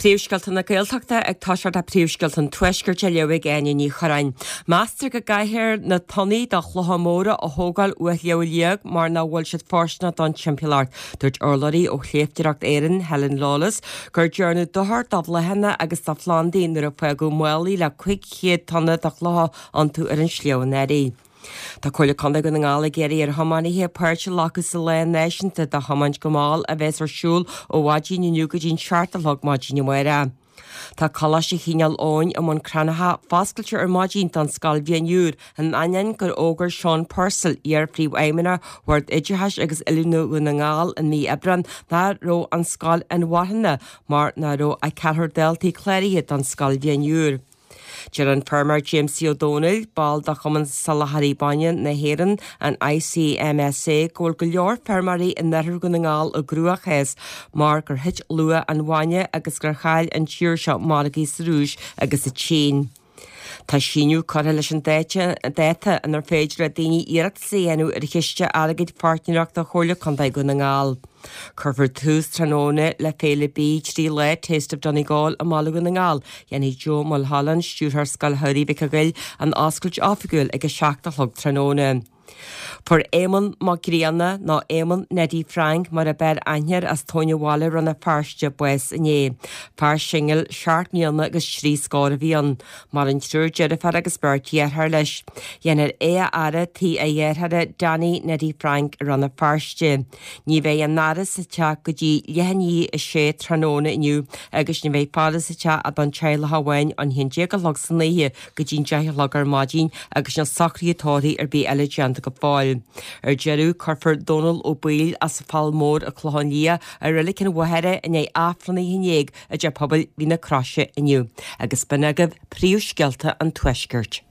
Príomhscéalta na Gaeltachta ag toiseacht le Príomhscéalta an Tuaiscirt á léamh ag Áine Ní Churráin. Meastar go gcaithfear na tonnaí de chlocha móra a thógáil uaidh Shliabh Liag mar nach bhfuil siad fóirsteanach don timpeallacht. Dúirt urlabhraí ó Shléibhteoireacht Éireann, Helen Lawless, gur dearnadh dochar do bhláthanna agus do phlandaí nuair a fágadh málaí le 500 tonna de chlocha iontu ar an sliabh anuraidh. Tá Comhairle Contae Dhún na nGall ag iarraidh ar thiománaithe páirt a ghlacadh sa Lá Náisiúnta do Thiomáint go Mall a bheas ar siúl ó mhaidin inniu go dtí'n 7 a chlog maidin amárach. Tá Coláiste Chineál Eoghain i mBun Cranncha foscailte ar maidin don scoilbhliain úr, in ainneoin gur fhógair Seán Purcell, iar-phríomhfheidhmeannach Bhord Oideachais agus Oiliúna Dhún na nGall i mí Aibreáin nach raibh an scoil inmharthana mar nach raibh ach ceathrar daltaí cláraithe don scoilbhliain úr. Deir an feirmeoir Jamesie Ó Domhnaill, ball de Chumann Soláthraí Bainne na hÉireann, an ICMSA, go bhfuil go leor feirmeoirí in oirthear Dhún na nGall i gcruachás mar gur thit luach an bhainne agus gur chaill an tír seo margaí sa Rúis agus sa tSín. Tá síneadh curtha leis an dáta inar féidir le daoine iarratas a dhéanamh ar chiste airgid pháirtnéireachta Chomhairle Contae Dhún na nGall. Cuirfear tús tráthnóna le féile bídh 3 lá Taste of Donegal i mBaile Dhún na nGall. Dhéanfaidh Joe Mulholland, Stiúrthóir Scoil Shamhraidh Mhic an Ghoill, an oscailt oifigiúil ag 7 a chlog tráthnóna. Fuair Éamonn Mac Grianna, nó Éamonn Neidí Frank mar ab fhearr aithne air as Tóin an Bhaile, Rann na Feirste, bás inné. Fear singil, seacht mbliana agus trí scór a bhí ann. Maireann triúr deirfiúr agus beirt dheartháir leis. Dhéanfar é a fhaire tigh a dhearthára Danny Neidí Frank i Rann na Feirste. Ní bheidh an fhaire sa teach go dtí leath i ndiaidh a sé tráthnóna inniu agus ní bheidh faire sa teach ach don teaghlach amháin ón 11 a chlog san oíche go dtí'n 10 a chlog ar maidin agus níl socruithe tórraimh ar bith eile déanta go fóill. Ar deireadh, cuirfear Dónal Ó Baoill as an Fhál Mór an Clochán Liath i Reilig an Mhachaire i ndiaidh Aifreann a 11 i dTeach Pobail Mhín na Croise inniu. Agus b'in agaibh príomhscéalta an Tuaiscirt.